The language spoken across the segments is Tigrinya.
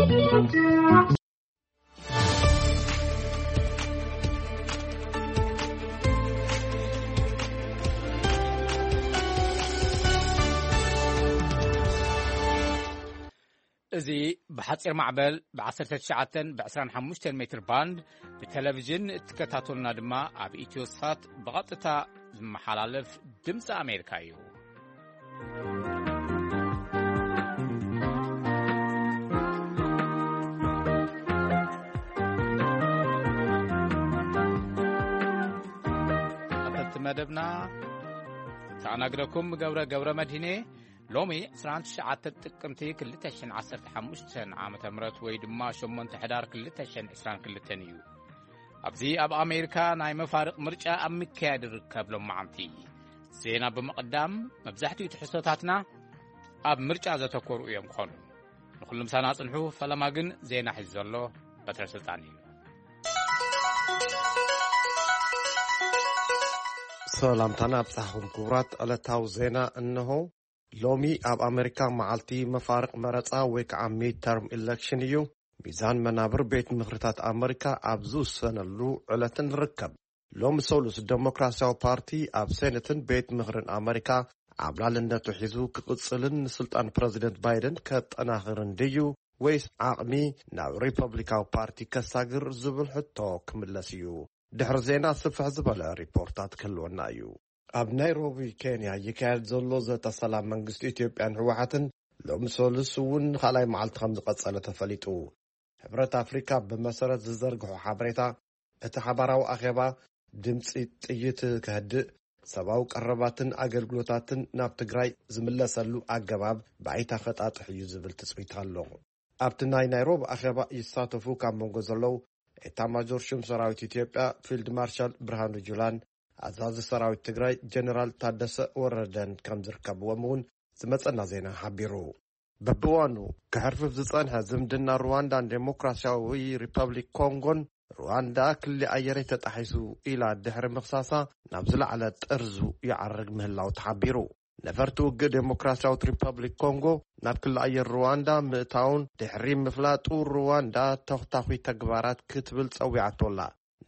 እዚ ብሓጺር ማዕበል ብ19 ብ25 ሜትር ባንድ ብቴሌቪዥን እትከታተሉና ድማ ኣብ ኢትዮሳት ብቐጥታ ዝመሓላለፍ ድምፂ ኣሜሪካ እዩ። ኣተቲ መደብና ተኣናግደኩም ገብረ ገብረ መድህኔ። ሎሚ 29 ጥቅምቲ 2015 ዓመተ ምህረት ወይ ድማ 8 ሕዳር 2022 እዩ። ኣብዚ ኣብ ኣሜሪካ ናይ መፋርቕ ምርጫ ኣብ ምክያድ ይርከብ። ሎማዓንቲ ዜና ብምቕዳም፣ መብዛሕትኡ ትሕዝቶታትና ኣብ ምርጫ ዘተኮሩ እዮም ክኾኑ። ንኹሉ ምሳና ጽንሑ። ፈለማ ግን ዜና ሒዙ ዘሎ በትረ ስልጣን እዩ። ሰላምታና ኣብጻሕኹም ክቡራት። ዕለታዊ ዜና እንሆ። ሎሚ ኣብ ኣሜሪካ መዓልቲ መፋርቕ መረጻ ወይ ከዓ ሚድተርም ኢሌክሽን እዩ። ሚዛን መናብር ቤት ምኽርታት ኣሜሪካ ኣብ ዝውሰነሉ ዕለትን ርከብ። ሎሚ ሰሉስ ዴሞክራሲያዊ ፓርቲ ኣብ ሴኔትን ቤት ምኽርን ኣሜሪካ ዓብላልነቱ ሒዙ ክቕጽልን ንስልጣን ፕረዚደንት ባይደን ከጠናኽርን ድዩ ወይስ ዓቕሚ ናብ ሪፐብሊካዊ ፓርቲ ከሳግር ዝብል ሕቶ ክምለስ እዩ። ድሕሪ ዜና ስፍሕ ዝበለ ሪፖርታት ክህልወና እዩ። ኣብ ናይሮቢ ኬንያ ይካየድ ዘሎ ዘተ ሰላም መንግስቲ ኢትዮጵያን ህወሓትን ሎሚ ሰሉስ እውን ካልኣይ መዓልቲ ከም ዝቐጸለ ተፈሊጡ። ሕብረት ኣፍሪካ ብመሰረት ዝዘርግሖ ሓበሬታ፣ እቲ ሓባራዊ ኣኼባ ድምፂ ጥይት ከህድእ፣ ሰብኣዊ ቀረባትን ኣገልግሎታትን ናብ ትግራይ ዝምለሰሉ ኣገባብ ብኣይታ ከጣጥሕ እዩ ዝብል ትፅቢት ኣሎ። ኣብቲ ናይ ናይሮቢ ኣኼባ ይሳተፉ ካብ መንጎ ዘለዉ ኤታማጆር ሹም ሰራዊት ኢትዮጵያ ፊልድ ማርሻል ብርሃኑ ጁላን ኣዛዚ ሰራዊት ትግራይ ጀነራል ታደሰ ወረደን ከም ዝርከብዎም እውን ዝመጸና ዜና ሓቢሩ። በብዋኑ ክሕርፍፍ ዝጸንሐ ዝምድና ሩዋንዳን ዴሞክራሲያዊ ሪፐብሊክ ኮንጎን፣ ሩዋንዳ ክሊ ኣየረይ ተጣሒሱ ኢላ ድሕሪ ምኽሳሳ፣ ናብ ዝለዓለ ጥርዙ ይዓርግ ምህላው ተሓቢሩ። ነፈርቲ ውግእ ዴሞክራሲያዊት ሪፐብሊክ ኮንጎ ናብ ክሊ ኣየር ሩዋንዳ ምእታውን ድሕሪ ምፍላጡ፣ ሩዋንዳ ተኽታኺ ተግባራት ክትብል ጸዊዓቶ ኣላ።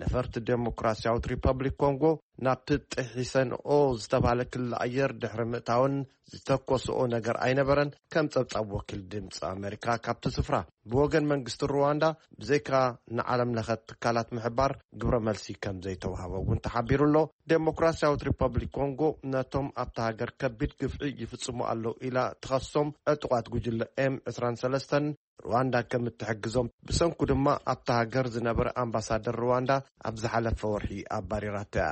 ነፈርቲ ዴሞክራሲያዊት ሪፐብሊክ ኮንጎ ናብቲ ጥሒሰንኦ ዝተባህለ ክሊ ኣየር ድሕሪ ምእታውን ዝተኮስኦ ነገር ኣይነበረን፣ ከም ጸብጻብ ወኪል ድምፂ ኣሜሪካ ካብቲ ስፍራ። ብወገን መንግስቲ ሩዋንዳ፣ ብዘይካ ንዓለም ለኸ ትካላት ምሕባር፣ ግብረ መልሲ ከም ዘይተዋህበ እውን ተሓቢሩ ኣሎ። ዴሞክራሲያዊት ሪፐብሊክ ኮንጎ ነቶም ኣብታ ሃገር ከቢድ ግፍዒ ይፍጽሙ ኣለዉ ኢላ ትኸሶም ዕጡቓት ጉጅለ ኤም ዕስራን ሰለስተን፣ ሩዋንዳ ከም እትሕግዞም፣ ብሰንኩ ድማ ኣብታ ሃገር ዝነበረ ኣምባሳደር ሩዋንዳ ኣብ ዝሓለፈ ወርሒ ኣባሪራቶ እያ።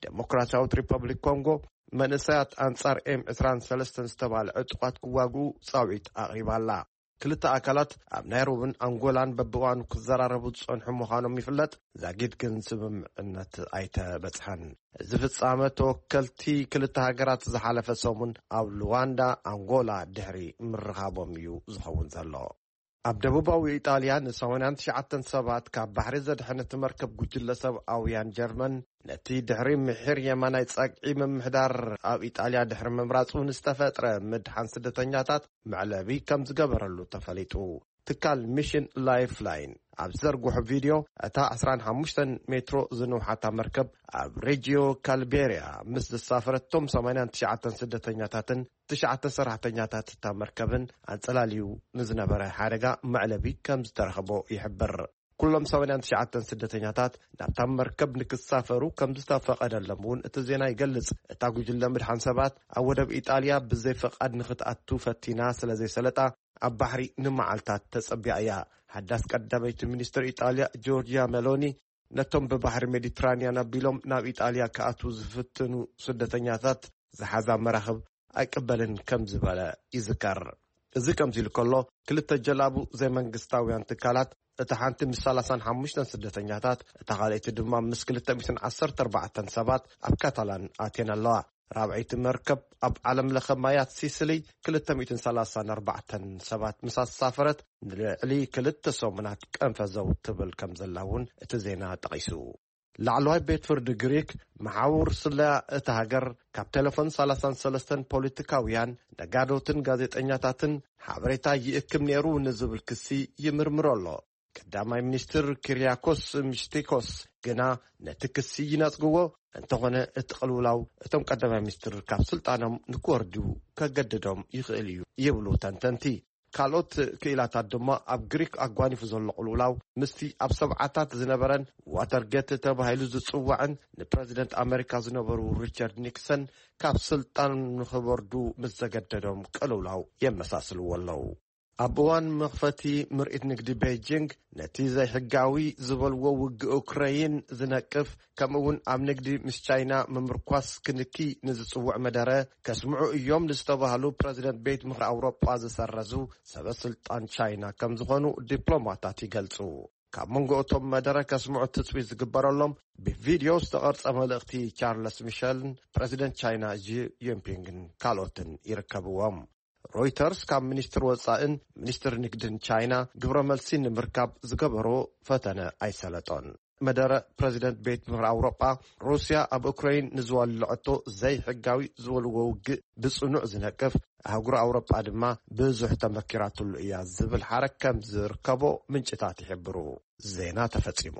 ዴሞክራሲያዊት ሪፐብሊክ ኮንጎ መንእሰያት ኣንጻር ኤም ዕስራን ሰለስተን ዝተባህለ ዕጡቓት ክዋግኡ ጻውዒት ኣቕሪባ ኣላ። ክልተ ኣካላት ኣብ ናይሮብን ኣንጎላን በብእዋኑ ክዘራረቡ ዝጸንሑ ምዃኖም ይፍለጥ። ዛጊድ ግን ስምምዕነት ኣይተበጽሐን። እዚ ፍጻመ ተወከልቲ ክልተ ሃገራት ዝሓለፈ ሰሙን ኣብ ሉዋንዳ፣ ኣንጎላ ድሕሪ ምርኻቦም እዩ ዝኸውን ዘሎ። ኣብ ደቡባዊ ኢጣልያ ን89 ሰባት ካብ ባሕሪ ዘድሐነት መርከብ ጉጅለ ሰብኣውያን ጀርመን፣ ነቲ ድሕሪ ምሒር የማናይ ጸግዒ ምምሕዳር ኣብ ኢጣልያ ድሕሪ ምምራጹ ንዝተፈጥረ ምድሓን ስደተኛታት መዕለቢ ከም ዝገበረሉ ተፈሊጡ። ትካል ሚሽን ላይፍላይን ኣብ ዝዘርግሖ ቪድዮ፣ እታ 15 ሜትሮ ዝንውሓታ መርከብ ኣብ ሬጂዮ ካልቤርያ ምስ ዝሳፈረቶም 89 ስደተኛታትን ትሽዓተ ሰራሕተኛታት እታ መርከብን ኣንጸላልዩ ንዝነበረ ሓደጋ መዕለቢ ከም ዝተረኸቦ ይሕብር። ኩሎም 89 ስደተኛታት ናብታ መርከብ ንክሳፈሩ ከም ዝተፈቐደሎም እውን እቲ ዜና ይገልጽ። እታ ጉጅለ ምድሓን ሰባት ኣብ ወደብ ኢጣልያ ብዘይ ፈቓድ ንክትኣቱ ፈቲና ስለ ዘይሰለጣ፣ ኣብ ባሕሪ ንመዓልታት ተጸቢያ እያ። ሓዳስ ቀዳመይቲ ሚኒስትር ኢጣልያ ጆርጂያ ሜሎኒ፣ ነቶም ብባሕሪ ሜዲትራንያን ኣቢሎም ናብ ኢጣልያ ክኣትዉ ዝፍትኑ ስደተኛታት ዝሓዛ መራኽብ ኣይቅበልን ከም ዝበለ ይዝከር። እዚ ከምዚ ኢሉ ከሎ፣ ክልተ ጀላቡ ዘይመንግስታውያን ትካላት፣ እታ ሓንቲ ምስ 35 ስደተኛታት፣ እታ ካልኣይቲ ድማ ምስ 214 ሰባት ኣብ ካታላን ኣትየን ኣለዋ። ራብዐይቲ መርከብ ኣብ ዓለም ለኸ ማያት ሲስሊ 234 ሰባት ምስ ኣሳፈረት፣ ንልዕሊ ክልተ ሰሙናት ቀንፈዘው ትብል ከም ዘላ እውን እቲ ዜና ጠቒሱ። ላዕለዋይ ቤት ፍርዲ ግሪክ መሓውር ስለያ እታ ሃገር ካብ ቴሌፎን ሰላሳን ሰለስተን ፖለቲካውያን፣ ነጋዶትን ጋዜጠኛታትን ሓበሬታ ይእክብ ነይሩ ንዝብል ክሲ ይምርምሮ ኣሎ። ቀዳማይ ሚኒስትር ኪርያኮስ ሚስቲኮስ ግና ነቲ ክሲ ይነጽግዎ። እንተኾነ እቲ ቅልውላው እቶም ቀዳማይ ሚኒስትር ካብ ስልጣኖም ንክወርዱ ከገድዶም ይኽእል እዩ ይብሉ ተንተንቲ። ካልኦት ክኢላታት ድማ ኣብ ግሪክ ኣጓኒፉ ዘሎ ቅልውላው ምስቲ ኣብ ሰብዓታት ዝነበረን ዋተርጌት ተባሂሉ ዝጽዋዕን ንፕረዚደንት ኣመሪካ ዝነበሩ ሪቻርድ ኒክሰን ካብ ስልጣን ንኽወርዱ ምስ ዘገደዶም ቅልውላው የመሳስልዎ ኣለዉ። ኣብ እዋን መኽፈቲ ምርኢት ንግዲ ቤጂንግ ነቲ ዘይሕጋዊ ዝበልዎ ውግእ ኡክረይን ዝነቅፍ፣ ከምኡ እውን ኣብ ንግዲ ምስ ቻይና ምምርኳስ ክንኪ ንዝጽውዕ መደረ ከስምዑ እዮም ንዝተባህሉ ፕረዚደንት ቤት ምኽሪ ኣውሮጳ ዝሰረዙ ሰበ ስልጣን ቻይና ከም ዝኾኑ ዲፕሎማታት ይገልጹ። ካብ መንጎ እቶም መደረ ከስምዑ ትጽቢት ዝግበረሎም ብቪድዮ ዝተቐርጸ መልእኽቲ ቻርለስ ሚሸልን ፕረዚደንት ቻይና ጂ ጂንፒንግን ካልኦትን ይርከብዎም። ሮይተርስ ካብ ሚኒስትር ወጻእን ሚኒስትር ንግድን ቻይና ግብረ መልሲ ንምርካብ ዝገበሮ ፈተነ ኣይሰለጦን። መደረ ፕረዚደንት ቤት ምኽሪ ኣውሮጳ፣ ሩስያ ኣብ ኡክራይን ንዝወለዐቶ ዘይሕጋዊ ዝበልዎ ውግእ ብጽኑዕ ዝነቅፍ፣ ኣህጉር ኣውሮጳ ድማ ብዙሕ ተመኪራትሉ እያ ዝብል ሓረግ ከም ዝርከቦ ምንጭታት ይሕብሩ። ዜና ተፈጺሙ።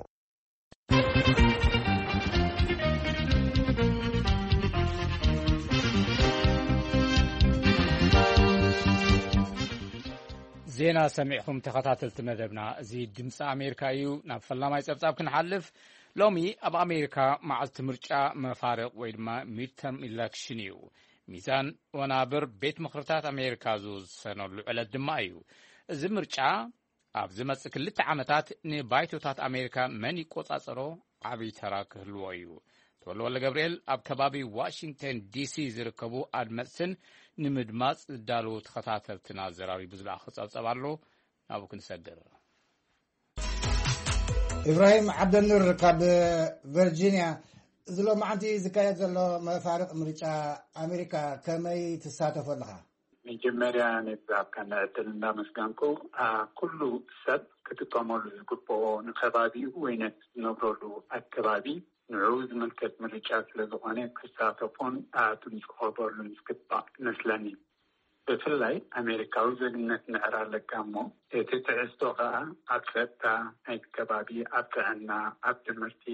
ዜና ሰሚዕኹም ተኸታተልቲ መደብና። እዚ ድምፂ ኣሜሪካ እዩ። ናብ ፈላማይ ፀብፃብ ክንሓልፍ፣ ሎሚ ኣብ ኣሜሪካ መዓልቲ ምርጫ መፋርቕ ወይ ድማ ሚድተርም ኢለክሽን እዩ። ሚዛን ወናብር ቤት ምኽርታት ኣሜሪካ ዝውሰነሉ ዕለት ድማ እዩ። እዚ ምርጫ ኣብ ዝመጽእ ክልተ ዓመታት ንባይቶታት ኣሜሪካ መን ይቆጻጸሮ ዓብዪ ተራ ክህልዎ እዩ። ተወልወለ ገብርኤል ኣብ ከባቢ ዋሽንግተን ዲሲ ዝርከቡ ኣድመጽትን ንምድማጽ ዝዳለዉ ተኸታተልትን ኣዘራሪቡ ዝለኣኸ ጸብጸብ ኣሎ። ናብኡ ክንሰግር። ኢብራሂም ዓብደኑር ካብ ቨርጂንያ፣ እዚ ሎማዓንቲ ዝካየድ ዘሎ መፋርቕ ምርጫ ኣሜሪካ ከመይ ትሳተፎ ኣለኻ? መጀመርያ ነዚ ዝሃብካና ዕድል እንዳመስገንኩ፣ ኩሉ ሰብ ክጥቀመሉ ዝግብኦ ንከባቢኡ ወይ ነቲ ዝነብረሉ ኣከባቢ ንዕኡ ዝምልከት ምርጫ ስለዝኾነ ክሳተፎን ድምፁ ክህበሉን ዝግባእ ይመስለኒ። ብፍላይ ኣሜሪካዊ ዜግነት ምዕራይ ኣለካ እሞ እቲ ትሕዝቶ ከኣ ኣብ ጸጥታ ናይቲ ከባቢ፣ ኣብ ጥዕና፣ ኣብ ትምህርቲ፣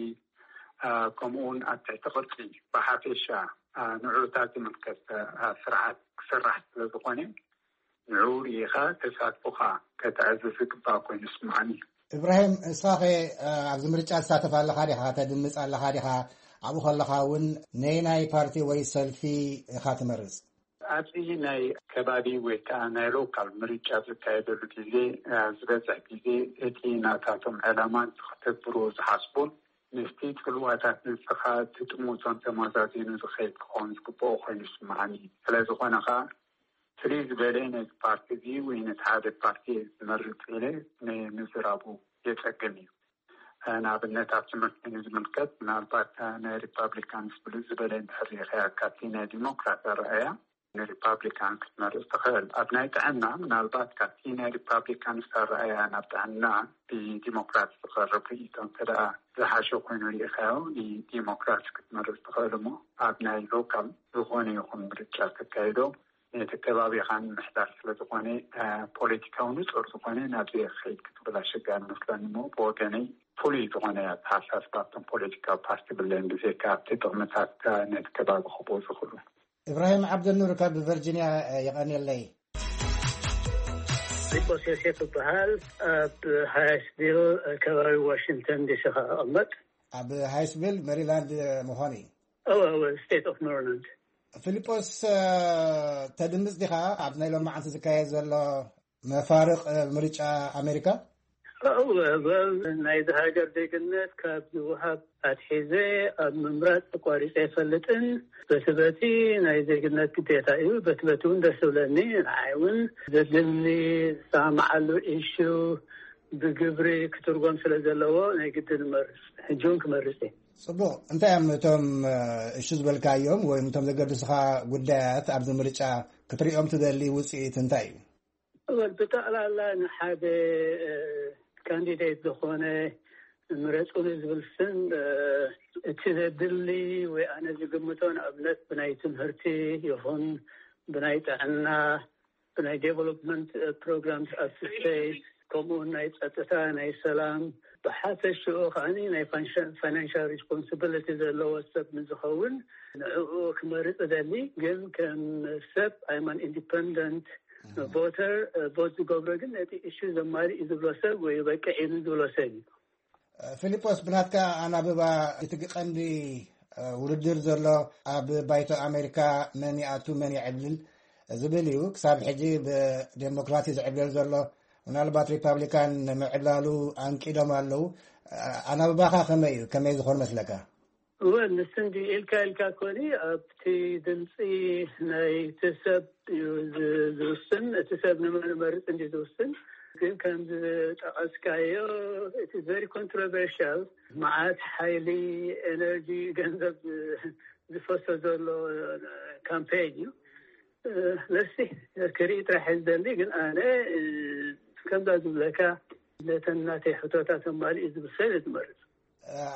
ከምኡ እውን ኣብ ትሕቲ ቅርጺ ብሓፈሻ ንዕኡታት ዝምልከት ስርዓት ክስራሕ ስለ ዝኾነ ንዕኡ ርኢኻ ተሳትፎኻ ከተዕዝዝ ዝግባእ ኮይኑ ይስምዓኒ። እብራሂም፣ ንስኻኸ ኣብዚ ምርጫ ትሳተፍ ኣለኻ ዲኻ? ተድምጽ ኣለኻ ዲኻ? ኣብኡ ከለኻ እውን ነየናይ ፓርቲ ወይ ሰልፊ ኢኻ ትመርጽ? ኣብዚ ናይ ከባቢ ወይ ከዓ ናይ ሎካል ምርጫ ዝካየደሉ ግዜ ዝበዝሕ ግዜ እቲ ናታቶም ዕላማን ክተግብርዎ ዝሓስቡን ምስቲ ፅልዋታት ንስኻ ትጥምቶም ተመዛዚኑ ዝኸይድ ክኸውን ዝግብኦ ኮይኑ ይስምዓኒ። ስለዝኾነ ከዓ ፍልይ ዝበለ ነዚ ፓርቲ እዚ ወይ ነቲ ሓደ ፓርቲ ዝመርፅ ኢለ ንምዝራቡ የፀግም እዩ። ንኣብነት ኣብ ትምህርቲ ንዝምልከት ምናልባት ናይ ሪፓብሊካንስ ብልፅ ዝበለ እንድሕር ሪኢኻያ ካብቲ ናይ ዲሞክራት ኣረኣእያ ንሪፓብሊካን ክትመርፅ ትኽእል። ኣብ ናይ ጥዕና ምናልባት ካብቲ ናይ ሪፓብሊካንስ ኣረኣእያ ናብ ጥዕና ብዲሞክራት ዝቐርብ ርእይቶ እንተ ደኣ ዝሓሸ ኮይኑ ሪኢኻዮ ንዲሞክራት ክትመርፅ ትኽእል እሞ ኣብ ናይ ሎካል ዝኾነ ይኹን ምርጫ ተካይዶ ነቲ ከባቢኻ ንምሕዳር ስለ ዝኾነ ፖለቲካዊ ንፁር ዝኾነ ናብዚ ክኸይድ ክትብል ኣሸጋሪ መስለኒ እሞ ብወገነይ ፍሉይ ዝኾነ ኣተሓሳስባ ኣብቶም ፖለቲካዊ ፓርቲ ብለይን ብዘይካ ኣብቲ ጥቕምታት ነቲ ከባቢ ክህቦ ዝኽእሉ። እብራሂም ዓብደኑር ካብ ቨርጂንያ የቐንየለይ። ፊሊጶስ ዮሴፍ እበሃል። ኣብ ሃይስቪል ከባቢ ዋሽንግተን ዲሲ ከኣ እቐመጥ። ኣብ ሃይስቪል ሜሪላንድ ምዃኑ እዩ። እወ እወ፣ ስቴት ኦፍ ሜሪላንድ። ፊሊጶስ፣ ተድምጽ ዲኻ ኣብ ናይ ሎማዓንቲ ዝካየድ ዘሎ መፋርቕ ምርጫ ኣሜሪካ? እወ፣ ናይዚ ሃገር ዜግነት ካብ ዝወሃብ ኣትሒዘ ኣብ ምምራጽ ተቋሪጸ ኣይፈልጥን። በቲ በቲ ናይ ዜግነት ግዴታ እዩ። በቲ በቲ እውን ደስ ዝብለኒ፣ ንዓይ እውን ዘድልኒ ዝሰማማዓሉ ኢሹ ብግብሪ ክትርጎም ስለ ዘለዎ ናይ ግድን እመርጽ። ሕጂ እውን ክመርጽ እየ። ጽቡቕ። እንታይ እዮም እቶም እሹ ዝበልካዮም ወይ እቶም ዘገድሱኻ ጉዳያት ኣብዚ ምርጫ ክትሪኦም ትደሊ? ውጽኢት እንታይ እዩ? እወ፣ ብጠቕላላ ንሓደ ካንዲዴት ዝኾነ ምረጹኒ ዝብል ስም እቲ ዘድሊ ወይ ኣነ ዝግምቶ ንኣብነት ብናይ ትምህርቲ ይኹን ብናይ ጥዕና ብናይ ዴቨሎፕመንት ፕሮግራምስ ኣስስቴት ከምኡውን ናይ ጸጥታ ናይ ሰላም ብሓፈሽኡ ከዓኒ ናይ ፋይናንሻል ሪስፖንሲቢሊቲ ዘለዎ ሰብ ንዝኸውን ንዕኡ ክመርጽ እደሊ። ግን ከም ሰብ I'm an independent voter vote ዝገብሮ ግን ነቲ እሹ ዘማሪ እዩ ዝብሎ ሰብ ወይ በቂ እዩ ዝብሎ ሰብ እዩ። ፊሊጶስ፣ ብናትካ ኣናብባ እቲ ቀንዲ ውድድር ዘሎ ኣብ ባይቶ ኣሜሪካ መን ይኣቱ መን ይዕልል ዝብል እዩ። ክሳብ ሕጂ ብዴሞክራሲ ዝዕብለል ዘሎ፣ ምናልባት ሪፓብሊካን ንምዕብላሉ ኣንቂዶም ኣለዉ። ኣናብባኻ ከመይ እዩ? ከመይ ዝኾን መስለካ? ወል ንስንዲ ኢልካ ኢልካ ኮኒ ኣብቲ ድምፂ ናይ እቲ ሰብ እዩ ዝውስን። እቲ ሰብ ንመን መርፅ እንዲ ዝውስን። ግን ከም ዝጠቐስካዮ እቲ very controversial፣ መዓት ሓይሊ፣ ኤነርጂ፣ ገንዘብ ዝፈሶ ዘሎ ካምፔን እዩ። ለሲ ክርኢ ጥራሕ ዝደሊ። ግን ኣነ ከምዛ ዝብለካ ነተን ናተይ ሕቶታት ኣማሊኡ ዝብል ሰብ ዝመርፅ።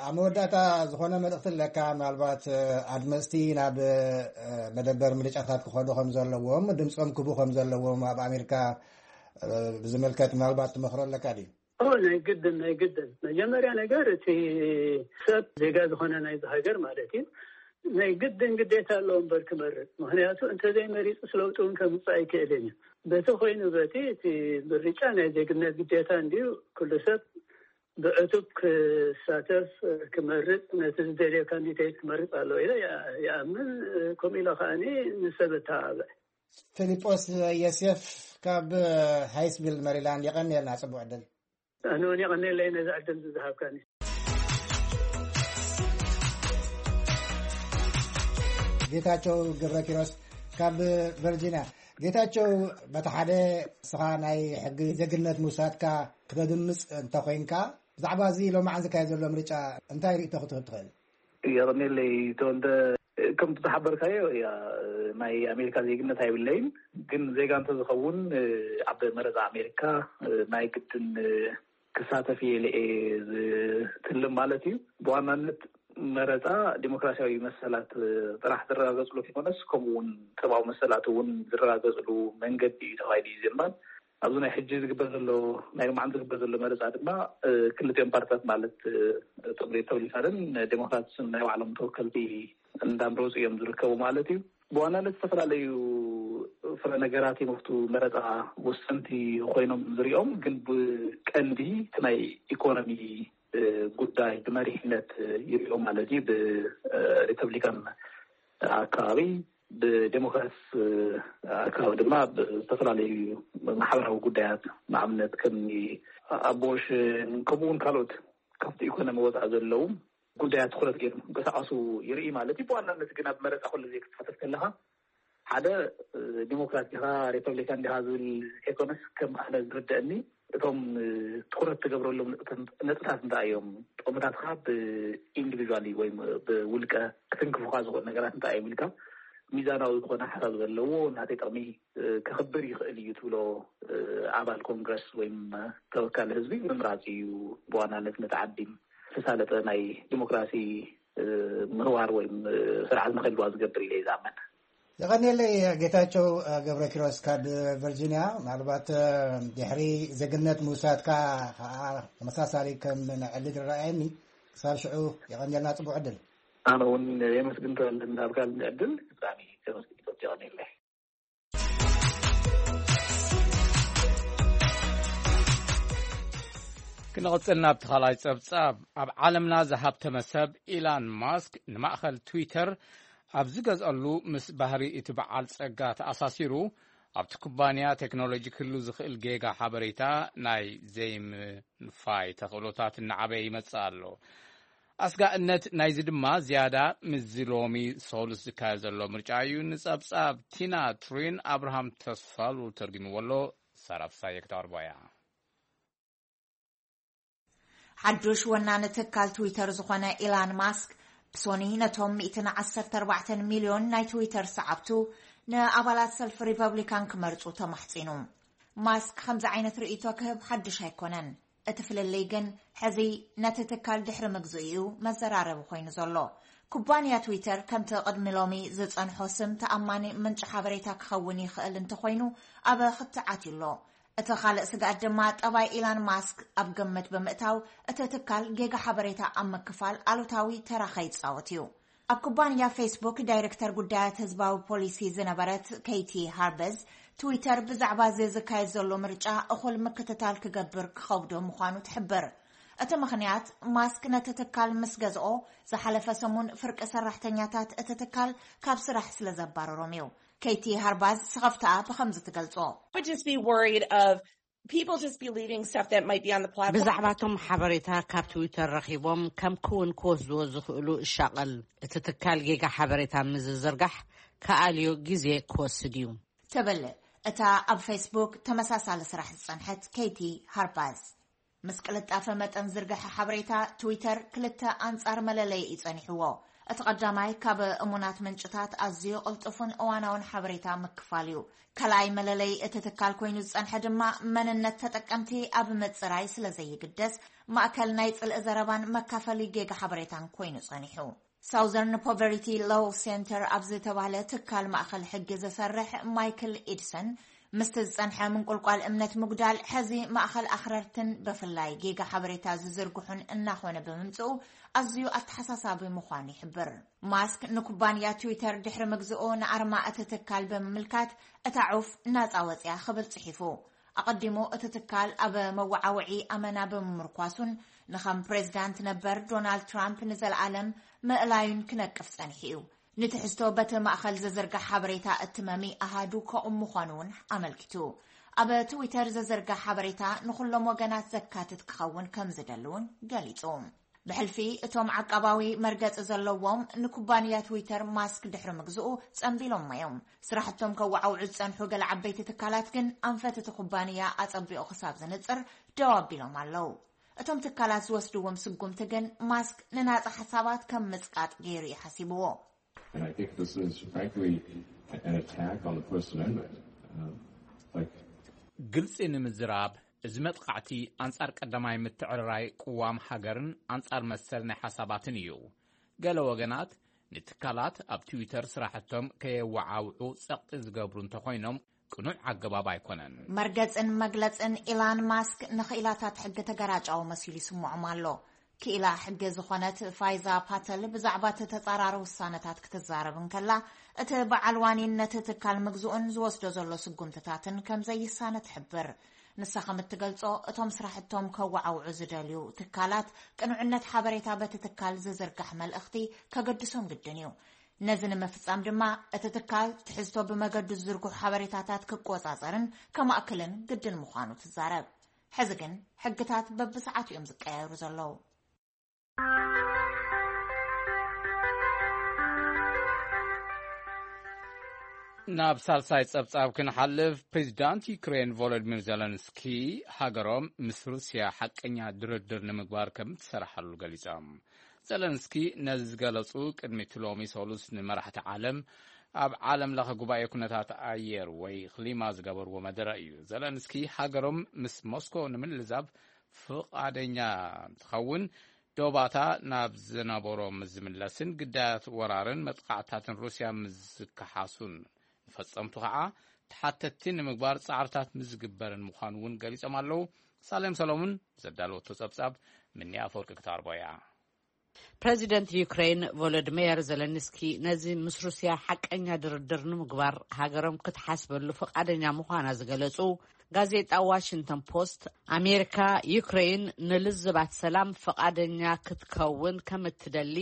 ኣብ መወዳእታ ዝኾነ መልእኽቲ ኣለካ? ምናልባት ኣድመፅቲ ናብ መደበር ምርጫታት ክኸዱ ከም ዘለዎም፣ ድምፆም ክቡ ከም ዘለዎም ኣብ ኣሜሪካ ብዝምልከት ምናልባት ትመኽሮ ኣለካ ድዩ? ኦ ናይ ግድን ናይ ግድን መጀመርያ ነገር እቲ ሰብ ዜጋ ዝኾነ ናይዚ ሃገር ማለት እዩ ናይ ግድን ግዴታ ኣለዎ እምበር ክመርፅ። ምክንያቱ እንተዘይመሪፁ ስለውጢ እውን ከምፅእ ኣይክእልን እዩ። በቲ ኮይኑ በቲ እቲ ምርጫ ናይ ዜግነት ግዴታ እንዲዩ ኩሉ ሰብ ብዕቱብ ክሳተፍ ክመርፅ ነቲ ዝደልዮ ካንዲዴት ክመርፅ ኣለዎ ኢለ ይኣምን። ከምኡ ኢለ ከዓኒ ንሰብ እተባብዕ። ፊሊጶስ የሴፍ ካብ ሃይስቪል መሪላንድ፣ የቐንየልና፣ ጽቡቕ ዕድል። ኣነ እውን የቐንየለይ ነዚ ዕድል ዝዝሃብካኒ። ጌታቸው ገብረ ኪሮስ ካብ ቨርጂኒያ። ጌታቸው፣ በቲ ሓደ ንስኻ ናይ ሕጊ ዜግነት ምውሳድካ ክተድምፅ እንተኾይንካ፣ ብዛዕባ እዚ ሎማዓንቲ ዝካየድ ዘሎ ምርጫ እንታይ ርእይቶ ክትህብ ትኽእል? የቐንየለይ ተወልደ። ከምቲ ዝሓበርካዮ እያ፣ ናይ ኣሜሪካ ዜግነት ኣይብለይን፣ ግን ዜጋ እንተዝኸውን ኣብ መረፃ ኣሜሪካ ናይ ግድን ክሳተፍ እየ ኢለ እየ ዝትልም ማለት እዩ። ብዋናነት መረፃ ዲሞክራሲያዊ መሰላት ጥራሕ ዝረጋገፅሉ ከይኮነስ፣ ከምኡ እውን ሰብኣዊ መሰላት እውን ዝረጋገፅሉ መንገዲ እዩ ተባሂሉ እዩ ዝእመን። ኣብዚ ናይ ሕጂ ዝግበር ዘሎ፣ ናይ ሎማዓንቲ ዝግበር ዘሎ መረፃ ድማ ክልቲኦም ፓርትታት ማለት እቶም ሪፐብሊካንን ዴሞክራትስን ናይ ባዕሎም ተወከልቲ እንዳምረፁ እዮም ዝርከቡ ማለት እዩ። ብዋናነት ዝተፈላለዩ ፍረ ነገራት እዮም ኣብቲ መረፃ ወሰንቲ ኮይኖም ዝሪኦም፣ ግን ብቀንዲ እቲ ናይ ኢኮኖሚ ጉዳይ ብመሪሕነት ይሪኦ ማለት እዩ። ብሪፐብሊካን ኣከባቢ፣ ብዴሞክራትስ ኣከባቢ ድማ ብዝተፈላለዩ ማሕበራዊ ጉዳያት፣ ንኣብነት ከም ኣቦርሽን ከምኡ እውን ካልኦት ካብቲ ኢኮኖሚ ወፃኢ ዘለዉ ጉዳያት ትኩረት ገይሮም ክንቀሳቀሱ ይርኢ ማለት እዩ። ብዋናነት ግን ኣብ መረፃ ኩሉ ግዜ ክትሳተፍ ከለካ ሓደ ዲሞክራት ዲኻ ሪፐብሊካን ዲኻ ዝብል ዘይኮነስ፣ ከም ኣነ ዝርደአኒ እቶም ትኩረት ትገብረሎም ነጥብታት እንታይ እዮም፣ ጥቕምታትካ ብኢንዲቪድዋሊ ወይ ብውልቀ ክትንክፉካ ዝኽእሉ ነገራት እንታይ እዮም ኢልካ ሚዛናዊ ዝኾነ ሓሳብ ዘለዎ ናተይ ጥቕሚ ከኽብር ይኽእል እዩ ትብሎ ኣባል ኮንግረስ ወይ ተወካሊ ህዝቢ ምምራፅ እዩ ብዋናነት ነቲ ዓዲ ዝተሳለጠ ናይ ዲሞክራሲ ምህዋር ወይ ስርዓት ንክህልዋ ዝገብር ኢለ እዩ ዝኣምን። የቐንየለይ ጌታቸው ገብረ ኪሮስ ካብ ቨርጂኒያ። ምናልባት ድሕሪ ዜግነት ምውሳድካ ከዓ ተመሳሳሊ ከም ንዕሊ ዝረኣየኒ። ክሳብ ሽዑ የቐንየልና፣ ፅቡቅ ዕድል። ኣነ እውን የመስግን ተወልደ እንዳብካ ዕድል ብጣዕሚ ተመስግን። የቐንየለይ። ክንቕጽል ናብቲ ካልኣይ ጸብጻብ። ኣብ ዓለምና ዝሃብተመ ሰብ ኢላን ማስክ ንማእኸል ትዊተር ኣብ ዝገዝኣሉ ምስ ባህሪ እቲ በዓል ጸጋ ተኣሳሲሩ ኣብቲ ኩባንያ ቴክኖሎጂ ክህሉ ዝኽእል ጌጋ ሓበሬታ ናይ ዘይምንፋይ ተኽእሎታት እናዓበየ ይመጽእ ኣሎ። ኣስጋእነት ናይዚ ድማ ዝያዳ ምስዚ ሎሚ ሰሉስ ዝካየድ ዘሎ ምርጫ እዩ። ንጸብጻብ ቲና ትሪን ኣብርሃም ተስፋሉ ተርጉምዎ ኣሎ። ሳራ ፍሳየ ክተቕርቦ እያ። ሓዱሽ ወናኒ ትካል ትዊተር ዝኾነ ኢላን ማስክ ብሶኒ ነቶም ሚእትን ዓሰርተ ኣርባዕተን ሚልዮን ናይ ትዊተር ሰዓብቱ ንኣባላት ሰልፊ ሪፐብሊካን ክመርጹ ተማሕጺኑ። ማስክ ከምዚ ዓይነት ርእይቶ ክህብ ሓዱሽ ኣይኮነን። እቲ ፍልልይ ግን ሕዚ ነቲ ትካል ድሕሪ ምግዝኡ እዩ መዘራረቢ ኮይኑ ዘሎ። ኩባንያ ትዊተር ከምቲ ቅድሚ ሎሚ ዝጸንሖ ስም ተኣማኒ ምንጪ ሓበሬታ ክኸውን ይኽእል እንተኾይኑ፣ ኣብ ክትዓት ኣሎ። እቲ ካልእ ስግኣት ድማ ጠባይ ኢላን ማስክ ኣብ ግምት ብምእታው፣ እቲ ትካል ጌጋ ሓበሬታ ኣብ ምክፋል ኣሉታዊ ተራ ከይጻወት እዩ። ኣብ ኩባንያ ፌስቡክ ዳይሬክተር ጉዳያት ህዝባዊ ፖሊሲ ዝነበረት ኬይቲ ሃርበዝ፣ ትዊተር ብዛዕባ እዚ ዝካየድ ዘሎ ምርጫ እኹል ምክትታል ክገብር ክኸብዶ ምዃኑ ትሕብር። እቲ ምኽንያት፣ ማስክ ነቲ ትካል ምስ ገዝኦ፣ ዝሓለፈ ሰሙን ፍርቂ ሰራሕተኛታት እቲ ትካል ካብ ስራሕ ስለ ዘባረሮም እዩ። ኬይቲ ሃርባዝ ስኸፍታኣ ብኸምዚ ትገልጾ። Would just be worried of people just be leaving stuff that might be on the platform. ብዛዕባቶም ሓበሬታ ካብ ትዊተር ረኺቦም ከም ክውን ክወስድዎ ዝኽእሉ እሻቐል። እቲ ትካል ጌጋ ሓበሬታ ምስ ዝዝርጋሕ ክኣልዮ ግዜ ክወስድ እዩ። ትብል እታ ኣብ ፌስቡክ ተመሳሳሊ ስራሕ ዝጸንሐት ኬይቲ ሃርባዝ። ምስ ቅልጣፈ መጠን ዝርግሐ ሓበሬታ፣ ትዊተር ክልተ ኣንጻር መለለይ እዩ ጸኒሕዎ። እቲ ቀዳማይ ካብ እሙናት ምንጭታት ኣዝዩ ቅልጡፍን እዋናውን ሓበሬታ ምክፋል እዩ። ካልኣይ መለለይ እቲ ትካል ኮይኑ ዝጸንሐ ድማ፣ መንነት ተጠቀምቲ ኣብ ምጽራይ ስለ ዘይግደስ፣ ማእከል ናይ ጽልኢ ዘረባን መካፈሊ ጌጋ ሓበሬታን ኮይኑ ጸኒሑ። ሳውዘርን ፖቨርቲ ሎው ሴንተር ኣብ ዝተባህለ ትካል ማእከል ሕጊ ዝሰርሕ ማይክል ኢድሰን፣ ምስቲ ዝጸንሐ ምንቁልቋል እምነት ምጉዳል፣ ሕዚ ማእከል ኣኽረርትን ብፍላይ ጌጋ ሓበሬታ ዝዝርግሑን እናኾነ ብምምጽኡ፣ ኣዝዩ ኣተሓሳሳቢ ምዃኑ ይሕብር። ማስክ ንኩባንያ ትዊተር ድሕሪ ምግዝኡ፣ ንኣርማ እቲ ትካል ብምምልካት እታ ዑፍ ናጻ ወጽያ ክብል ጽሒፉ። ኣቐዲሙ እቲ ትካል ኣብ መወዓውዒ ኣመና ብምምርኳሱን ንኸም ፕሬዝዳንት ነበር ዶናልድ ትራምፕ ንዘለኣለም ምእላዩን ክነቅፍ ጸኒሑ እዩ። ንትሕዝቶ በቲ ማእከል ዝዝርጋሕ ሓበሬታ እትመሚ ኣሃዱ ከቑም ምዃኑ እውን ኣመልኪቱ። ኣብ ትዊተር ዝዝርጋሕ ሓበሬታ ንኹሎም ወገናት ዘካትት ክኸውን ከም ዝደሊ እውን ገሊጹ። ብሕልፊ እቶም ዓቃባዊ መርገጺ ዘለዎም ንኩባንያ ትዊተር ማስክ ድሕሪ ምግዝኡ ጸንቢሎሞ እዮም። ስራሕቶም ከወዓውዑ ዝጸንሑ ገለ ዓበይቲ ትካላት ግን ኣንፈት እቲ ኩባንያ ኣጸቢቑ ክሳብ ዝንጽር ደው ኣቢሎም ኣለዉ። እቶም ትካላት ዝወስድዎም ስጉምቲ ግን ማስክ ንናጻ ሓሳባት ከም ምጽቃጥ ገይሩ እዩ ሓሲብዎ። And I think this is, frankly, an attack on the First Amendment. Um, like, ግልጺ ንምዝራብ፣ እዚ መጥቃዕቲ ኣንጻር ቀዳማይ ምትዕርራይ ቅዋም ሃገርን ኣንጻር መሰል ናይ ሓሳባትን እዩ። ገለ ወገናት ንትካላት ኣብ ትዊተር ስራሕቶም ከየወዓውዑ ጸቕጢ ዝገብሩ እንተኾይኖም፣ ቅኑዕ ኣገባብ ኣይኮነን። መርገጽን መግለጽን ኢላን ማስክ ንኽኢላታት ሕጊ ተገራጫዊ መሲሉ ይስምዖም ኣሎ። ክኢላ ሕጊ ዝኾነት ፋይዛ ፓተል ብዛዕባ እቲ ተጻራሪ ውሳነታት ክትዛረብ እንከላ፣ እቲ በዓል ዋኒን ነቲ ትካል ምግዝኡን ዝወስዶ ዘሎ ስጉምትታትን ከም ዘይሳነ ትሕብር። ንሳ ከም እትገልጾ፣ እቶም ስራሕቶም ከወዓውዑ ዝደልዩ ትካላት፣ ቅኑዕነት ሓበሬታ በቲ ትካል ዝዝርጋሕ መልእኽቲ ከገድሶም ግድን እዩ። ነዚ ንምፍጻም ድማ፣ እቲ ትካል ትሕዝቶ ብመገዱ ዝዝርግሑ ሓበሬታታት ክቆጻጸርን ከማእክልን ግድን ምዃኑ ትዛረብ። ሕዚ ግን፣ ሕግታት በብሰዓቱ እዮም ዝቀያየሩ ዘለዉ። ናብ ሳልሳይ ጸብጻብ ክንሓልፍ፣ ፕሬዚዳንት ዩክሬን ቮሎዲሚር ዘለንስኪ ሃገሮም ምስ ሩስያ ሓቀኛ ድርድር ንምግባር ከም ትሰርሓሉ ገሊጾም። ዘለንስኪ ነዚ ዝገለጹ ቅድሚ እቲ ሎሚ ሰሉስ ንመራሕቲ ዓለም ኣብ ዓለም ለኸ ጉባኤ ኩነታት ኣየር ወይ ክሊማ ዝገበርዎ መደረ እዩ። ዘለንስኪ ሃገሮም ምስ ሞስኮ ንምልዛብ ፍቓደኛ እንትኸውን፣ ዶባታ ናብ ዝነበሮ ምስ ዝምለስን ግዳያት ወራርን መጥቃዕታትን ሩስያ ምስ ዝከሓሱን ንፈጸምቱ ከዓ ተሓተትቲ ንምግባር ጻዕርታት ምስ ዝግበርን ምዃኑ እውን ገሊጾም ኣለዉ። ሳሌም ሰሎሙን ዘዳለወቶ ጸብጻብ ምኒ ኣፈወርቂ ክተቕርቦ እያ። ፕሬዚደንት ዩክሬን ቮሎዲሚር ዘለንስኪ ነዚ ምስ ሩስያ ሓቀኛ ድርድር ንምግባር ሃገሮም ክትሓስበሉ ፍቓደኛ ምዃና ዝገለጹ፣ ጋዜጣ ዋሽንግተን ፖስት፣ ኣሜሪካ ዩክሬን ንልዝባት ሰላም ፍቓደኛ ክትከውን ከም እትደሊ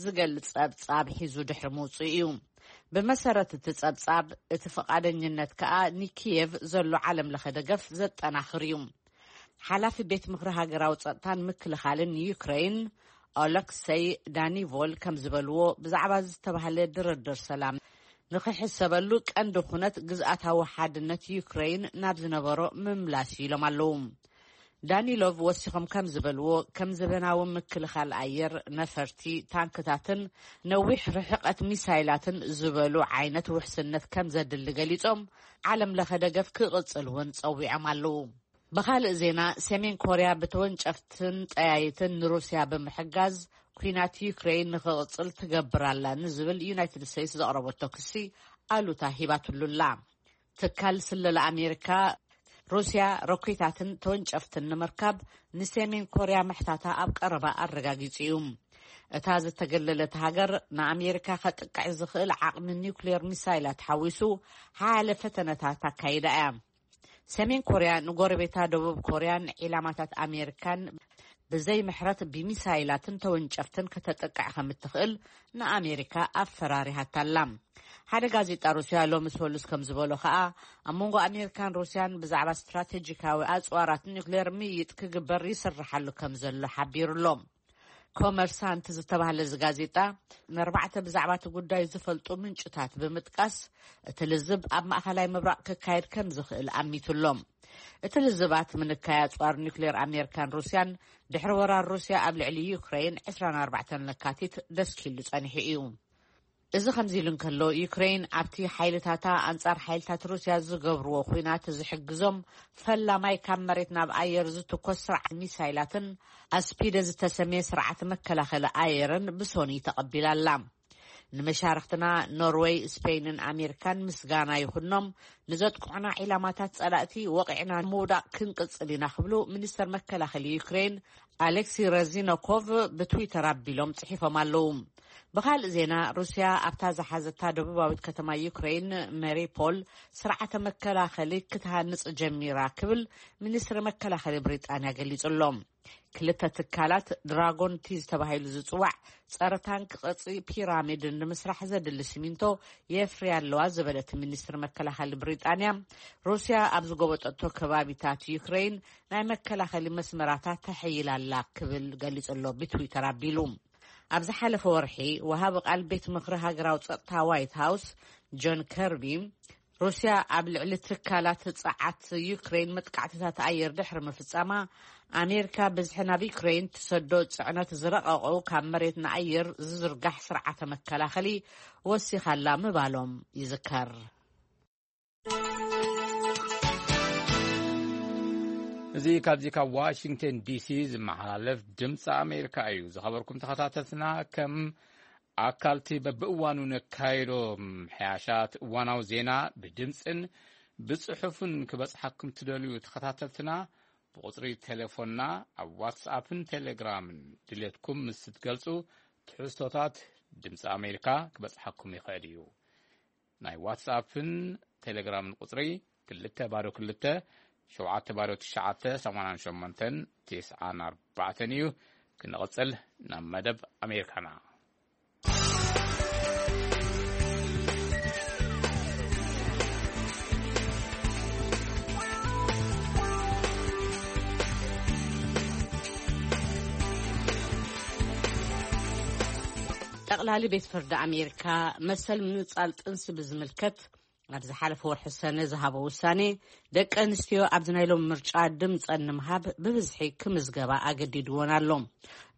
ዝገልጽ ጸብጻብ ሒዙ ድሕሪ ምውጽኡ እዩ። ብመሰረት እቲ ጸብጻብ፣ እቲ ፍቓደኝነት ከኣ ንኪየቭ ዘሎ ዓለም ለኸ ደገፍ ዘጠናኽር እዩ። ሓላፊ ቤት ምኽሪ ሃገራዊ ጸጥታን ምክልኻልን ዩክሬን ኦለክሰይ ዳኒቮል ከም ዝበልዎ፣ ብዛዕባ ዝተባህለ ድርድር ሰላም ንኽሕሰበሉ ቀንዲ ኩነት ግዝኣታዊ ሓድነት ዩክሬን ናብ ዝነበሮ ምምላስ እዩ ኢሎም ኣለዉ። ዳኒሎቭ ወሲኾም ከም ዝበልዎ፣ ከም ዘበናዊ ምክልኻል ኣየር፣ ነፈርቲ፣ ታንክታትን ነዊሕ ርሕቀት ሚሳይላትን ዝበሉ ዓይነት ውሕስነት ከም ዘድሊ ገሊጾም፣ ዓለም ለኸ ደገፍ ክቕጽል እውን ጸዊዖም ኣለዉ። ብኻልእ ዜና፣ ሰሜን ኮርያ ብተወንጨፍትን ጠያይትን ንሩስያ ብምሕጋዝ፣ ኲናት ዩክሬን ንኽቕጽል ትገብር ኣላ ንዝብል ዩናይትድ ስቴትስ ዘቕረበቶ ክሲ ኣሉታ ሂባትሉ ኣላ። ትካል ስለላ ኣሜሪካ፣ ሩስያ ሮኬታትን ተወንጨፍትን ንምርካብ ንሰሜን ኮርያ ምሕታታ ኣብ ቀረባ ኣረጋጊጹ እዩ። እታ ዝተገለለት ሃገር ንኣሜሪካ ከጥቅዕ ዝኽእል ዓቕሚ ኒውክሌር ሚሳይላት ሓዊሱ ሓያለ ፈተነታት ኣካይዳ እያ። ሰሜን ኮርያ ንጎረቤታ ደቡብ ኮርያን ዒላማታት ኣሜሪካን ብዘይ ምሕረት ብሚሳይላትን ተወንጨፍትን ከተጥቅዕ ከም እትኽእል ንኣሜሪካ ኣፈራሪሃታላ። ሓደ ጋዜጣ ሩስያ ሎሚ ሰሉስ ከም ዝበሎ ከኣ፣ ኣብ መንጎ ኣሜሪካን ሩስያን ብዛዕባ ስትራቴጂካዊ ኣጽዋራት ኒውክሌር ምይይጥ ክግበር ይስርሓሉ ከም ዘሎ ሓቢሩ ኣሎ። ኮመርሳንት ዝተባህለ እዚ ጋዜጣ ንኣርባዕተ ብዛዕባ እቲ ጉዳይ ዝፈልጡ ምንጭታት ብምጥቃስ፣ እቲ ልዝብ ኣብ ማእኸላይ ምብራቕ ክካየድ ከም ዝኽእል ኣሚቱ ኣሎ። እቲ ልዝባት ምንካይ ኣጽዋር ኒውክሌር ኣሜሪካን ሩስያን ድሕሪ ወራር ሩስያ ኣብ ልዕሊ ዩክሬን ዕስራን ኣርባዕተን ለካቲት ደስኪሉ ጸኒሑ እዩ። እዚ ከምዚ ኢሉ እንከሎ፣ ዩክሬን ኣብቲ ሓይልታታ ኣንጻር ሓይልታት ሩስያ ዝገብርዎ ኲናት ዝሕግዞም ፈላማይ ካብ መሬት ናብ ኣየር ዝትኮስ ስርዓት ሚሳይላትን ኣስፒደ ዝተሰምየ ስርዓት መከላኸሊ ኣየርን ብሶኒ ተቐቢላ ኣላ። ንመሻርኽትና ኖርወይ፣ ስፔይንን ኣሜሪካን ምስጋና ይኹኖም፣ ንዘጥቅዑና ዒላማታት ጸላእቲ ወቒዕና ምውዳቕ ክንቅጽል ኢና ክብሉ ሚኒስተር መከላኸሊ ዩክሬን ኣሌክሲ ረዚኖኮቭ ብትዊተር ኣቢሎም ጽሒፎም ኣለዉ። ብኻልእ ዜና፣ ሩስያ ኣብታ ዝሓዘታ ደቡባዊት ከተማ ዩክሬን መሪፖል ስርዓተ መከላኸሊ ክትሃንጽ ጀሚራ ክብል ሚኒስትሪ መከላኸሊ ብሪጣንያ ገሊጹ ኣሎ። ክልተ ትካላት ድራጎን ቲ ዝተባሂሉ ዝጽዋዕ ጸረ ታንክ ቅርጺ ፒራሚድ ንምስራሕ ዘድሊ ሲሚንቶ የፍርያ ኣለዋ ዝበለት ሚኒስትሪ መከላኸሊ ብሪጣንያ፣ ሩስያ ኣብ ዝጎበጠቶ ከባቢታት ዩክሬን ናይ መከላኸሊ መስመራታት ተሐይላ ኣላ ክብል ገሊጹ ኣሎ ብትዊተር ኣቢሉ። ኣብ ዝሓለፈ ወርሒ፣ ወሃቢ ቃል ቤት ምኽሪ ሃገራዊ ጸጥታ ዋይት ሃውስ ጆን ከርቢ፣ ሩስያ ኣብ ልዕሊ ትካላት ጸዓት ዩክሬን መጥቃዕትታት ኣየር ድሕሪ ምፍጻማ፣ ኣሜሪካ ብዝሒ ናብ ዩክሬን ትሰዶ ጽዕነት ዝረቐቑ ካብ መሬት ንኣየር ዝዝርጋሕ ስርዓተ መከላኸሊ ወሲኻላ ምባሎም ይዝከር። እዚ ካብዚ ካብ ዋሽንግተን ዲሲ ዝመሓላለፍ ድምፂ ኣሜሪካ እዩ። ዝኸበርኩም ተኸታተልትና፣ ከም ኣካልቲ በብእዋኑ ነካይዶ ምሕያሻት እዋናዊ ዜና ብድምፅን ብፅሑፍን ክበፅሓኩም ትደልዩ ተኸታተልትና፣ ብቁፅሪ ቴሌፎንና ኣብ ዋትስኣፕን ቴሌግራምን ድሌትኩም ምስ ትገልፁ፣ ትሕዝቶታት ድምፂ ኣሜሪካ ክበፅሓኩም ይኽእል እዩ። ናይ ዋትስኣፕን ቴሌግራምን ቁፅሪ ክልተ ባዶ ክልተ ሸውዓተ ባዶ ትሽዓተ ሰማንያን ሸሞንተን ትስዓን ኣርባዕተን እዩ። ክንቕፅል ናብ መደብ ኣሜሪካና። ጠቕላሊ ቤት ፍርዲ ኣሜሪካ መሰል ምንጻል ጥንሲ ብዝምልከት ኣብ ዝሓለፈ ወርሒ ሰነ ዝሃቦ ውሳኔ፣ ደቂ ኣንስትዮ ኣብዚ ናይ ሎሚ ምርጫ ድምጸን ንምሃብ ብብዝሒ ክምዝገባ ኣገዲድወን ኣሎ።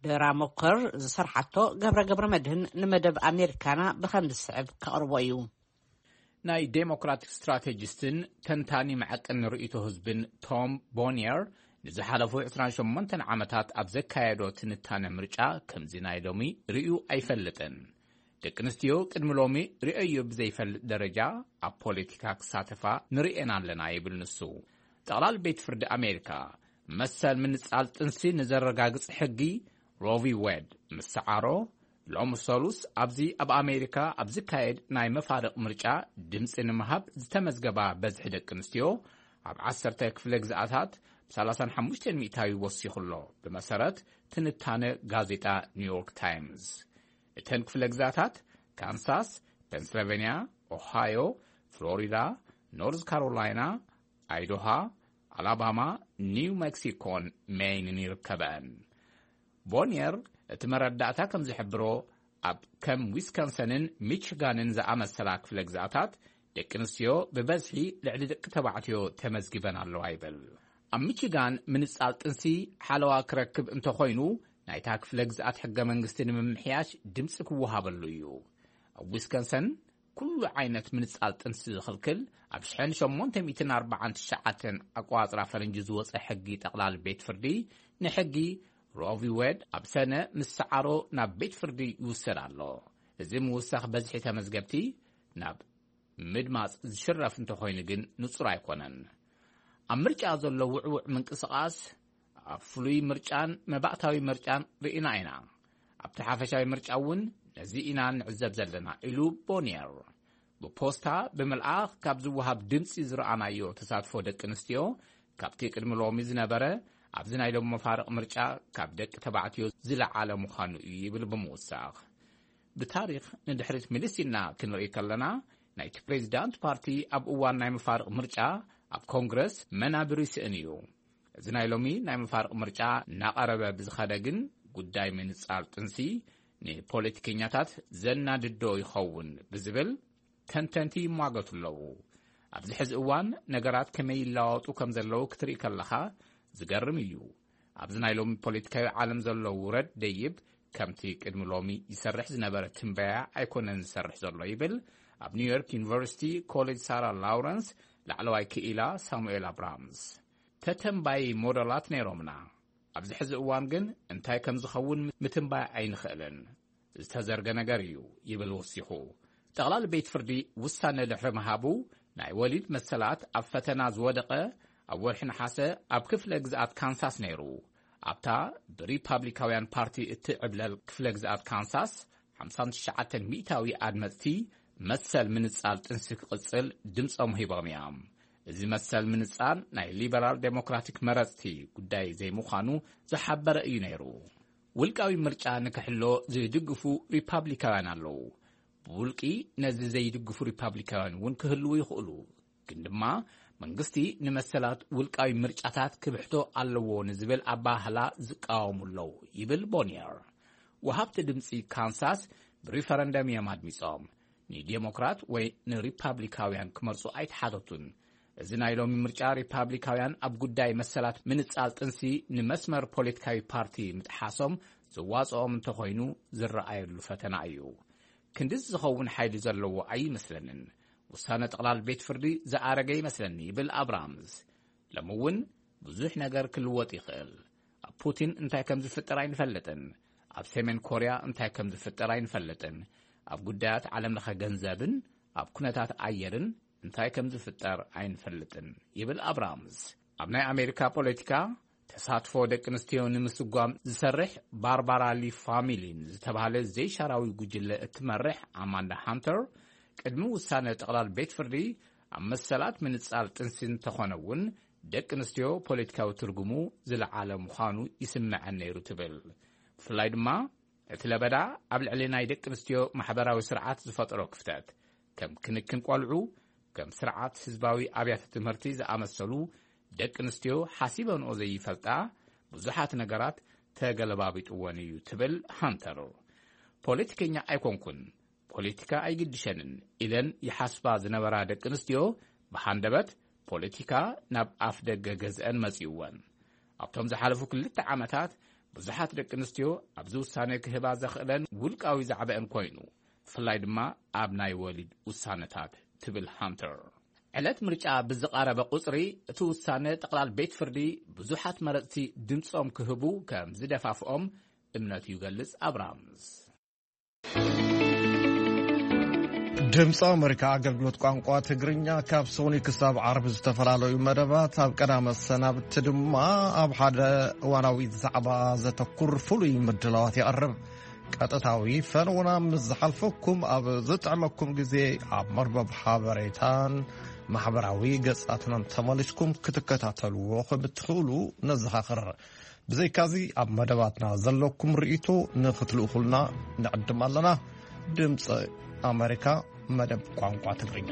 ዶራ ሞከር ዝሰርሓቶ ገብረ ገብረ መድህን ንመደብ ኣሜሪካና ብኸም ዝስዕብ ከቕርቦ እዩ። ናይ ዴሞክራቲክ ስትራቴጂስትን ተንታኒ መዐቀኒ ርእይቶ ህዝብን ቶም ቦኒየር ንዝሓለፉ ዕስራን ሸሞንተን ዓመታት ኣብ ዘካየዶ ትንታነ ምርጫ ከምዚ ናይ ሎሚ ርእዩ ኣይፈልጥን። ደቂ ኣንስትዮ ቅድሚ ሎሚ ርእየዮ ብዘይፈልጥ ደረጃ ኣብ ፖለቲካ ክሳተፋ ንርእየን ኣለና ይብል ንሱ። ጠቕላሊ ቤት ፍርዲ ኣሜሪካ መሰል ምንጻል ጥንሲ ንዘረጋግጽ ሕጊ ሮቪ ዌድ ምስ ሰዓሮ፣ ሎሚ ሰሉስ ኣብዚ ኣብ ኣሜሪካ ኣብ ዝካየድ ናይ መፋርቕ ምርጫ ድምጺ ንምሃብ ዝተመዝገባ በዝሒ ደቂ ኣንስትዮ ኣብ ዓሰርተ ክፍለ ግዝኣታት ብ ሰላሳን ሓሙሽተን ሚእታዊ ወሲኹ ኣሎ፣ ብመሰረት ትንታነ ጋዜጣ ኒውዮርክ ታይምስ። እተን ክፍለ ግዛታት ካንሳስ፣ ፔንስልቨንያ፣ ኦሃዮ፣ ፍሎሪዳ፣ ኖርዝ ካሮላይና፣ ኣይዶሃ፣ ኣላባማ፣ ኒው ሜክሲኮን ሜይንን ይርከበን። ቦኒየር እቲ መረዳእታ ከም ዝሕብሮ፣ ኣብ ከም ዊስኮንሰንን ሚችጋንን ዝኣመሰላ ክፍለ ግዛታት ደቂ ኣንስትዮ ብበዝሒ ልዕሊ ደቂ ተባዕትዮ ተመዝጊበን ኣለዋ ይብል። ኣብ ሚችጋን ምንጻል ጥንሲ ሓለዋ ክረክብ እንተኾይኑ፣ ናይታ ክፍለ ግዝኣት ሕገ መንግስቲ ንምምሕያሽ ድምፂ ክወሃበሉ እዩ። ኣብ ዊስኮንሰን ኩሉ ዓይነት ምንጻል ጥንሲ ዝኽልክል ኣብ ሸሞንተ ሚእትን ኣርባዓን ትሽዓተን ኣቋጽራ ፈረንጂ ዝወጸ ሕጊ ጠቕላል ቤት ፍርዲ፣ ንሕጊ ሮቪ ዌድ ኣብ ሰነ ምስ ሰዓሮ ናብ ቤት ፍርዲ ይውሰድ ኣሎ። እዚ ምውሳኽ በዝሒ ተመዝገብቲ ናብ ምድማጽ ዝሽረፍ እንተኾይኑ ግን ንጹር ኣይኮነን። ኣብ ምርጫ ዘሎ ውዕውዕ ምንቅስቓስ ኣብ ፍሉይ ምርጫን መባእታዊ ምርጫን ርኢና ኢና። ኣብቲ ሓፈሻዊ ምርጫ እውን ነዚ ኢና ንዕዘብ ዘለና፣ ኢሉ ቦኒየር። ብፖስታ ብምልኣኽ ካብ ዝወሃብ ድምፂ ዝረኣናዮ ተሳትፎ ደቂ ኣንስትዮ ካብቲ ቅድሚ ሎሚ ዝነበረ፣ ኣብዚ ናይ ሎሚ መፋርቕ ምርጫ ካብ ደቂ ተባዕትዮ ዝለዓለ ምዃኑ እዩ፣ ይብል ብምውሳኽ። ብታሪኽ ንድሕሪት ምልስ ኢልና ክንርኢ ከለና፣ ናይቲ ፕሬዚዳንት ፓርቲ ኣብ እዋን ናይ መፋርቕ ምርጫ ኣብ ኮንግረስ መናብር ይስእን እዩ። እዚ ናይ ሎሚ ናይ መፋርቕ ምርጫ እናቐረበ ብዝኸደ ግን፣ ጉዳይ ምንጻል ጥንሲ ንፖለቲከኛታት ዘናድዶ ይኸውን ብዝብል ተንተንቲ ይሟገቱ ኣለዉ። ኣብዚ ሕዚ እዋን ነገራት ከመይ ይለዋወጡ ከም ዘለዉ ክትርኢ ከለኻ ዝገርም እዩ። ኣብዚ ናይ ሎሚ ፖለቲካዊ ዓለም ዘሎ ውረድ ደይብ፣ ከምቲ ቅድሚ ሎሚ ይሰርሕ ዝነበረ ትንበያ ኣይኮነን ዝሰርሕ ዘሎ፣ ይብል ኣብ ኒውዮርክ ዩኒቨርሲቲ ኮሌጅ ሳራ ላውረንስ ላዕለዋይ ክኢላ ሳሙኤል ኣብራምስ። ተተንባዪ ሞደላት ነይሮምና። ኣብዚ ሕዚ እዋን ግን እንታይ ከም ዝኸውን ምትንባይ ኣይንኽእልን። ዝተዘርገ ነገር እዩ፣ ይብል ወሲኹ። ጠቕላሊ ቤት ፍርዲ ውሳነ ድሕሪ ምሃቡ፣ ናይ ወሊድ መሰላት ኣብ ፈተና ዝወደቐ ኣብ ወርሒ ነሓሰ ኣብ ክፍለ ግዝኣት ካንሳስ ነይሩ። ኣብታ ብሪፓብሊካውያን ፓርቲ እትዕብለል ክፍለ ግዝኣት ካንሳስ፣ ሓምሳን ትሽዓተን ሚእታዊ ኣድመፅቲ መሰል ምንጻል ጥንሲ ክቕጽል ድምጾም ሂቦም እዮም። እዚ መሰል ምንጻል ናይ ሊበራል ዴሞክራቲክ መረጽቲ ጉዳይ ዘይምዃኑ ዝሓበረ እዩ ነይሩ። ውልቃዊ ምርጫ ንክሕሎ ዝድግፉ ሪፓብሊካውያን ኣለዉ። ብውልቂ ነዚ ዘይድግፉ ሪፓብሊካውያን እውን ክህልዉ ይኽእሉ። ግን ድማ መንግስቲ ንመሰላት ውልቃዊ ምርጫታት ክብሕቶ ኣለዎ ንዝብል ኣባህላ ዝቃወሙ ኣለዉ፣ ይብል ቦኒየር። ወሃብቲ ድምፂ ካንሳስ ብሪፈረንደም እዮም ኣድሚፆም። ንዴሞክራት ወይ ንሪፓብሊካውያን ክመርፁ ኣይተሓተቱን። እዚ ናይ ሎሚ ምርጫ ሪፓብሊካውያን ኣብ ጉዳይ መሰላት ምንጻል ጥንሲ ንመስመር ፖለቲካዊ ፓርቲ ምጥሓሶም ዝዋፅኦም እንተኾይኑ ዝረኣየሉ ፈተና እዩ። ክንድዚ ዝኸውን ሓይሊ ዘለዎ ኣይመስለንን። ውሳነ ጠቕላል ቤት ፍርዲ ዝኣረገ ይመስለኒ፣ ይብል ኣብራምስ። ሎሚ እውን ብዙሕ ነገር ክልወጥ ይኽእል። ኣብ ፑቲን እንታይ ከም ዝፍጠር ኣይንፈልጥን። ኣብ ሰሜን ኮርያ እንታይ ከም ዝፍጠር ኣይንፈልጥን። ኣብ ጉዳያት ዓለም ለኸ ገንዘብን ኣብ ኩነታት ኣየርን እንታይ ከም ዝፍጠር ኣይንፈልጥን፣ ይብል ኣብራምስ። ኣብ ናይ ኣሜሪካ ፖለቲካ ተሳትፎ ደቂ ኣንስትዮ ንምስጓም ዝሰርሕ ባርባራ ሊ ፋሚሊን ዝተባህለ ዘይሻራዊ ጉጅለ እትመርሕ ኣማንዳ ሃንተር፣ ቅድሚ ውሳነ ጠቕላል ቤት ፍርዲ ኣብ መሰላት ምንጻል ጥንሲ እንተኾነ እውን፣ ደቂ ኣንስትዮ ፖለቲካዊ ትርጉሙ ዝለዓለ ምዃኑ ይስምዐን ነይሩ ትብል። ብፍላይ ድማ እቲ ለበዳ ኣብ ልዕሊ ናይ ደቂ ኣንስትዮ ማሕበራዊ ስርዓት ዝፈጠሮ ክፍተት፣ ከም ክንክን ቆልዑ፣ ከም ስርዓት ህዝባዊ ኣብያተ ትምህርቲ ዝኣመሰሉ ደቂ ኣንስትዮ ሓሲበንኦ ዘይፈልጣ ብዙሓት ነገራት ተገለባቢጥወን እዩ ትብል ሃንተር። ፖለቲከኛ ኣይኮንኩን፣ ፖለቲካ ኣይግድሸንን ኢለን ይሓስባ ዝነበራ ደቂ ኣንስትዮ፣ ብሃንደበት ፖለቲካ ናብ ኣፍ ደገ ገዝአን መጺእወን። ኣብቶም ዝሓለፉ ክልተ ዓመታት ብዙሓት ደቂ ኣንስትዮ ኣብዚ ውሳነ ክህባ ዘኽእለን ውልቃዊ ዛዕባአን ኮይኑ፣ ብፍላይ ድማ ኣብ ናይ ወሊድ ውሳነታት፣ ትብል ሃንተር። ዕለት ምርጫ ብዝቐረበ ቁጽሪ፣ እቲ ውሳነ ጠቕላል ቤት ፍርዲ ብዙሓት መረጽቲ ድምጾም ክህቡ ከም ዝደፋፍኦም እምነቱ ይገልጽ ኣብራምስ። ድምፂ ኣሜሪካ ኣገልግሎት ቋንቋ ትግርኛ ካብ ሰኑይ ክሳብ ዓርቢ ዝተፈላለዩ መደባት፣ ኣብ ቀዳመ ሰናብቲ ድማ ኣብ ሓደ እዋናዊ ዛዕባ ዘተኩር ፍሉይ ምድላዋት የቕርብ። ቀጥታዊ ፈነውና ምስ ዝሓልፈኩም፣ ኣብ ዝጥዕመኩም ግዜ ኣብ መርበብ ሓበሬታን ማሕበራዊ ገጻትናን ተመሊስኩም ክትከታተልዎ ከም እትኽእሉ ነዘኻኽር። ብዘይካዚ፣ ኣብ መደባትና ዘለኩም ርእይቶ ንኽትልእኹልና ንዕድም ኣለና። ድምፂ ኣሜሪካ፣ መደብ ቋንቋ ትግርኛ።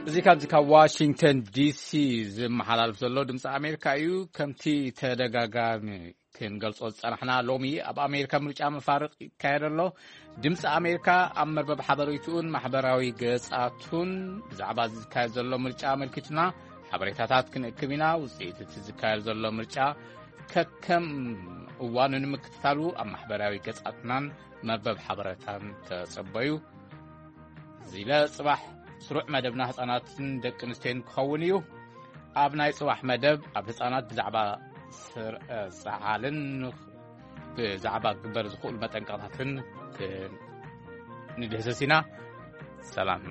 እዚ ካብዚ ካብ ዋሽንግተን ዲሲ ዝመሓላልፍ ዘሎ ድምፂ ኣሜሪካ እዩ። ከምቲ ተደጋጋሚ ክንገልጾ ዝጸናሕና፣ ሎሚ ኣብ ኣሜሪካ ምርጫ መፋርቕ ይካየድ ኣሎ። ድምፂ ኣሜሪካ ኣብ መርበብ ሓበሬትኡን ማሕበራዊ ገጻቱን ብዛዕባ እዚ ዝካየድ ዘሎ ምርጫ ኣመልኪቱና ሓበሬታታት ክንእክብ ኢና። ውጽኢት እቲ ዝካየድ ዘሎ ምርጫ ከከም እዋኑ ንምክትታሉ ኣብ ማሕበራዊ ገጻትናን መርበብ ሓበሬታን ተጸበዩ። ዝለ ጽባሕ ስሩዕ መደብና ህጻናትን ደቂ ኣንስትዮን ክኸውን እዩ። ኣብ ናይ ጽባሕ መደብ ኣብ ህጻናት ብዛዕባ ስርዐ ሰዓልን ብዛዕባ ክግበር ዝኽእሉ መጠንቀቕታትን ክ- ንድህሰስ ኢና። ሰላም።